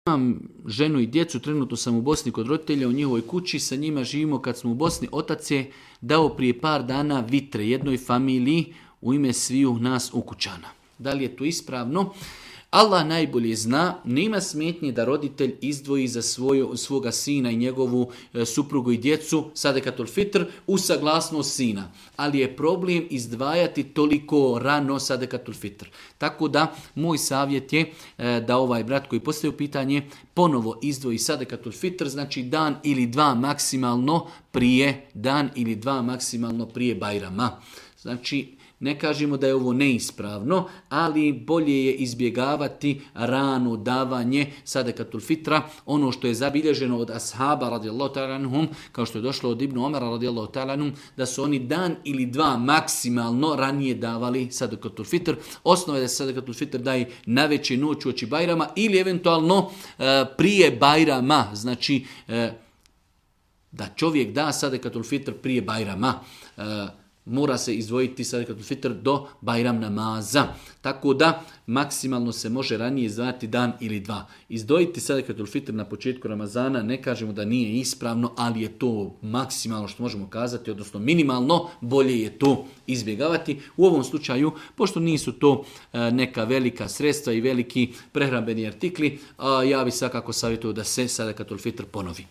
Imam ženu i djecu, trenutno sam u Bosni kod roditelja u njihovoj kući, sa njima živimo kad smo u Bosni. Otac je dao prije par dana vitre jednoj familiji u ime sviju nas ukućana. Da li je to ispravno? Allah najbolje zna, nema smetnje da roditelj izdvoji za svoga sina i njegovu suprugu i djecu sadekatul fitr u saglasnost sina. Ali je problem izdvajati toliko rano sadekatul fitr. Tako da moj savjet je da ovaj brat koji postavio pitanje ponovo izdvoji sadekatul fitr, znači dan ili dva maksimalno prije Bajrama. Znači, ne kažemo da je ovo neispravno, ali bolje je izbjegavati rano davanje sadekatul fitra. Ono što je zabilježeno od ashaba radijallahu ta'ala anhum, kao što je došlo od Ibnu Omara radijallahu ta'ala anhum, da su oni dan ili dva maksimalno ranije davali sadekatul fitr. Osnova je da se sadekatul fitr daje na veće noć uoči Bajrama ili eventualno prije Bajrama. Znači da čovjek da sadekatul fitr prije Bajrama. Mora se izdvojiti sadekatul fitr do Bajram namaza. Tako da maksimalno se može ranije izdvajati dan ili dva. Izdvojiti sadekatul fitr na početku Ramazana ne kažemo da nije ispravno, ali je to maksimalno što možemo kazati, odnosno minimalno, bolje je to izbjegavati. U ovom slučaju, pošto nisu to neka velika sredstva i veliki prehrambeni artikli, ja bih svakako savjetovao da se sadekatul fitr ponovi.